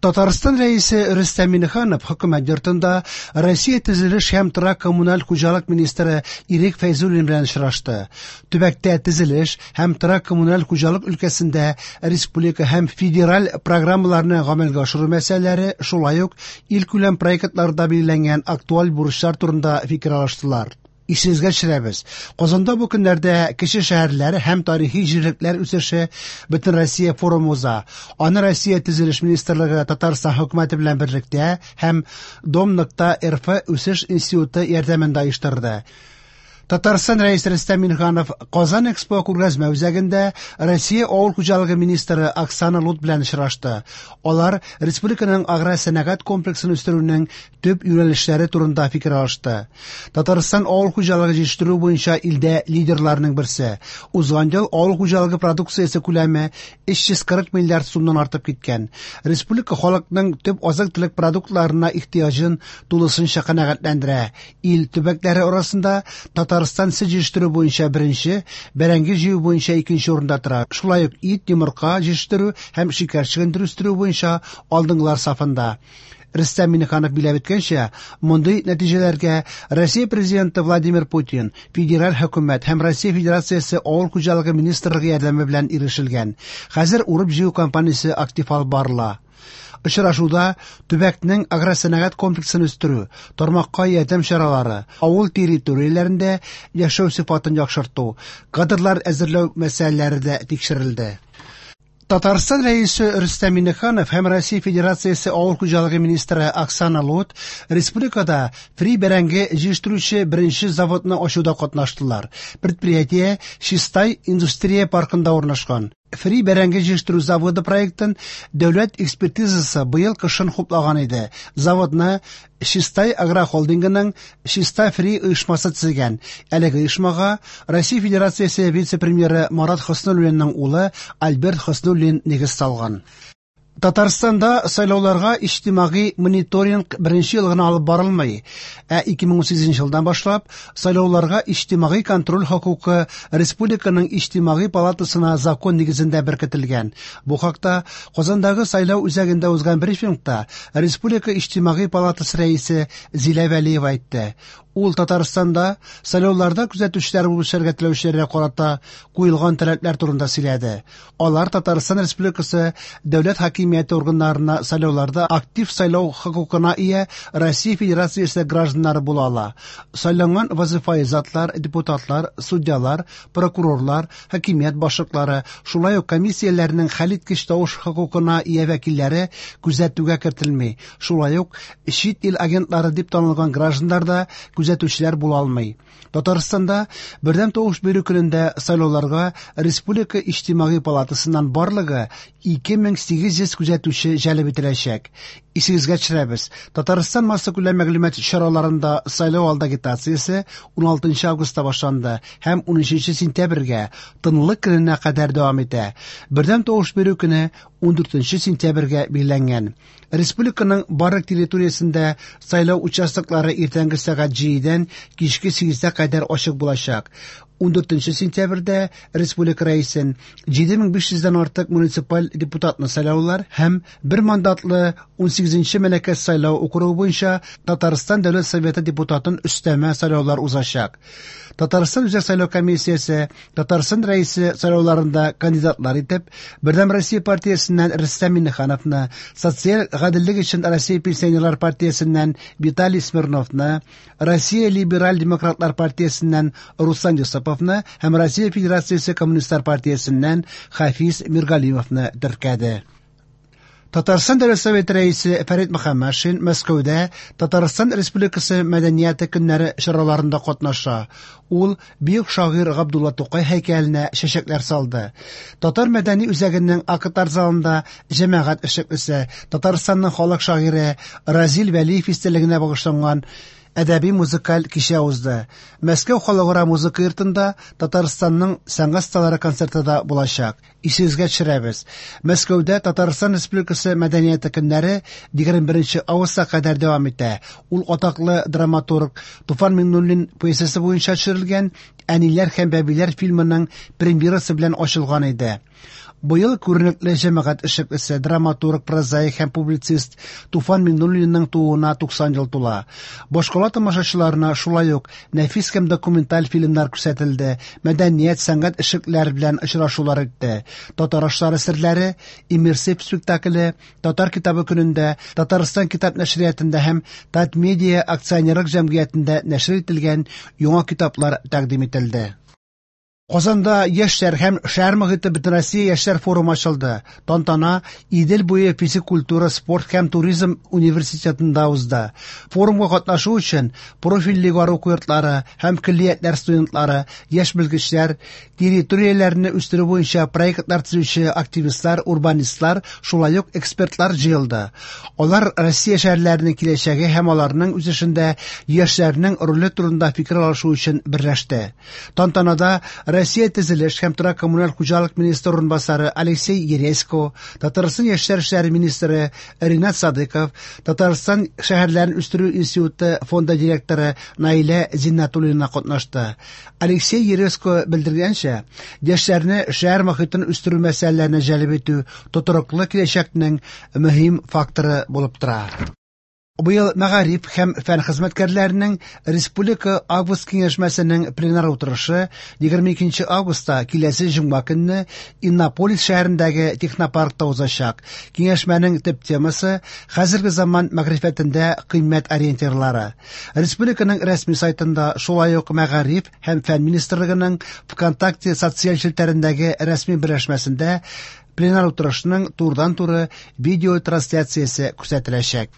Татарстан Рәисе Рөстәм Миңнеханов Хөкүмәт йортында Россия төзелеш һәм торак-коммуналь хуҗалык министры Ирек Фәйзуллин белән очрашты. Төбәктә төзелеш һәм торак-коммуналь хуҗалык өлкәсендә республика һәм федераль программаларны гамәлгә ашыру мәсьәләләре, шулай ук илкүләм проектларда билгеләнгән актуаль бурычлар турында фикер алыштылар. Исегезгә төшерәбез, Казанда бу көннәрдә кече шәһәрләр һәм тарихи җирлекләр үсеше Бөтенроссия форумы уза. Аны Россия Төзелеш министрлыгы Татарстан хөкүмәте белән берлектә һәм Дом.РФ үсеш институты ярдәмендә оештырды. Татарстан Рәисе Рөстәм Миңнеханов Казан Экспо күргәзмә үзәгендә Россия авыл хуҗалыгы министры Оксана Лут белән очрашты. Алар республиканың агросәнәгать комплексын үстерүнең төп юнәлешләре турында фикер алышты. Татарстан авыл хуҗалыгы җитештерү буенча илдә лидерларның берсе. Узган ел авыл хуҗалыгы продукциясе күләме 340 миллиард сумнан артып киткән. Республика халыкның төп азык-төлек продуктларына ихтыяҗын тулысынча канәгатьләндерә. Ил төбәкләре арасында Татарстан сөт җитештерү буенча беренче, бәрәңге җыю буенча икенче урында тора. Шулай ук ит, йомырка җитештерү һәм шикәр чөгендере үстерү буенча алдынгылар сафында. Рөстәм Миңнеханов билгеләп үткәнчә, мондый нәтиҗәләргә Россия Президенты Владимир Путин, федераль хөкүмәт һәм Россия Федерациясе Авыл хуҗалыгы министрлыгы ярдәме белән ирешелгән. Хәзер урып-җыю кампаниясе актив алып барыла. Очрашуда төбәкнең агросәнәгать комплексын үстерү, тармакка ярдәм чаралары, авыл территорияләрендә яшәү сыйфатын яхшырту, кадрлар әзерләү мәсьәләләре дә тикшерелде. Татарстан Рәисе Рөстәм Миңнеханов һәм Россия Федерациясе Авыл хуҗалыгы министры Оксана Лут республикада фри бәрәңге җитештерүче беренче заводны ачуда катнаштылар. Предприятие Чистай индустрия паркында урнашкан. Фри бәрәңге җитештерү заводы проектын дәүләт экспертизасы быел кышын хуплаган иде. Заводны Чистай агрохолдингының Чистай Фри оешмасы төзегән. Әлеге оешмага Россия Федерациясе вице-премьеры Марат Хөснуллинның улы Альберт Хөснуллин нигез салган. Татарстанда сайлауларга иҗтимагый мониторинг беренче ел гына алып барылмый, ә 2018 елдан башлап сайлауларга иҗтимагый контроль хокукы республиканың иҗтимагый палатасына закон нигезендә беркетелгән. Бу хакта Казандагы сайлау үзәгендә узган брифингта республика иҗтимагый палатасы рәисе Зилә Вәлиева әйтте. Ул Татарстанда сайлауларда күзәтүчеләр булып эшләргә теләүчеләргә карата куелган таләпләр турында сөйләде. Алар Татарстан Республикасы дәүләт хакимияте органнарына сайлауларда актив сайлау хокукына ия Россия Федерациясе гражданнары була ала. Сайланган вазифаи затлар, депутатлар, судьялар, прокурорлар, хакимият башлыклары, шулай ук комиссияләрнең хәлиткеч тавыш хокукына ия вәкилләре күзәтүгә кертелми. Шулай ук чит ил агентлары дип танылган гражданнар да күзәтүчеләр була алмый. Татарстанда бердәм тавыш бирү көнендә сайлауларга Республика иҗтимагый палатасыннан барлыгы 2800 күзәтүче җәлеп ителәчәк. Исегезгә төшерәбез, Татарстан массакүләм мәгълүмат чараларында сайлау алды агитациясе 16 августта башланды һәм 13 сентябрьгә тынлык көненә кадәр дәвам итә. Бердәм тавыш бирү көне 14 сентябрьгә билгеләнгән. Республиканың барлык территориясендә сайлау участоклары иртәнге сәгать 7-дән кичке 8-гә кадәр ачык булачак. 14 сентябрьдә республика рәисен 7500-дән артык муниципаль депутатны сайлаулар һәм бер мандатлы 18 Мәләкәс сайлау округы буенча Татарстан Дәүләт Советы депутатын өстәмә сайлаулар узачак. Татарстан Үзәк сайлау комиссиясе Татарстан рәисе сайлауларында кандидатлар итеп Бердәм Россия партиясеннән Рөстәм Миңнехановны, Социаль гаделлек өчен Россия пенсионерлар партиясеннән Виталий Смирновны, Россия либераль демократлар партиясеннән Руслан Юсуповны һәм Россия Федерациясе коммунистлар партиясеннән Хафиз Миргалимовны теркәде. Татарстан Дәүләт Советы рәисе Фәрит Мөхәммәтшин Мәскәүдә Татарстан Республикасы мәдәнияте көннәре чараларында катнаша. Ул бөек шагыйрь Габдулла Тукай һәйкәленә чәчәкләр салды. Татар мәдәни үзәгенең актлар залында җәмәгать эшлеклесе, Татарстанның халык шагыйре Разил Вәлиев истәлегенә багышланган әдәби музыкаль кичә узды. Мәскәү халыкара музыка йортында Татарстанның сәнгать осталары концерты да булачак. Исегезгә төшерәбез. Мәскәүдә Татарстан Республикасы мәдәнияте көннәре 21 августка кадәр дәвам итә. Ул атаклы драматург Туфан Миңнуллин пьесасы буенча төшерелгән Әниләр һәм бәбиләр фильмының премьерасы белән ачылган иде. Быел күренекле җәмәгать эшлеклесе, драматург, прозаик һәм публицист Туфан Миңнуллинның тууына 90 ел тула. Башкала тамашачыларына шулай ук нәфис һәм документаль фильмнар күрсәтелде, мәдәният, сәнгать эшлеклеләре белән очрашулар үтте. Татар ашлары серләре иммерсив спектакле Татар китабы көнендә Татарстан китап нәшриятында һәм Татмедиа акционерлык җәмгыятендә нәшер ителгән яңа китаплар тәкъдим ителде. Казанда яшьләр һәм шәһәр мохите Бөтенроссия яшьләр форумы ачылды. Тантана Идел буе физик культура, спорт һәм туризм университетында узды. Форумга катнашу өчен профильле югары уку йортлары һәм көллиятләр студентлары, яшь белгечләр, территорияләрне үстерү буенча проектлар төзүче активистлар, урбанистлар, шулай ук экспертлар җыелды. Алар Россия шәһәрләренең киләчәге һәм аларның үсешендә яшьләрнең роле турында фикер алышу өчен берләште. Тантанада Россия төзелеш һәм торак-коммуналь хуҗалык министры урынбасары Алексей Ересько, Татарстан яшьләр эшләре министры Ринат Садыков, Татарстан шәһәрләрен үстерү институты фонды директоры Наилә Зиннәтуллина катнашты. Алексей Ересько белдергәнчә, яшьләрне шәһәр мохитен үстерү мәсьәләләренә җәлеп итү тотрыклы киләчәкнең мөһим факторы булып тора. Быел мәгариф һәм фән хезмәткәрләренең республика август киңәшмәсенең пленар утырышы 22 августта киләсе җомга көнне Иннополис шәһәрендәге технопаркта узачак. Киңәшмәнең төп темасы хәзерге заман мәгърифәтендә кыйммәт ориентирлары. Республиканың рәсми сайтында шулай ук мәгариф һәм фән министрлыгының ВКонтакте социаль челтәрендәге рәсми берләшмәсендә пленар утырышның турыдан-туры видеотрансляциясе күрсәтеләчәк.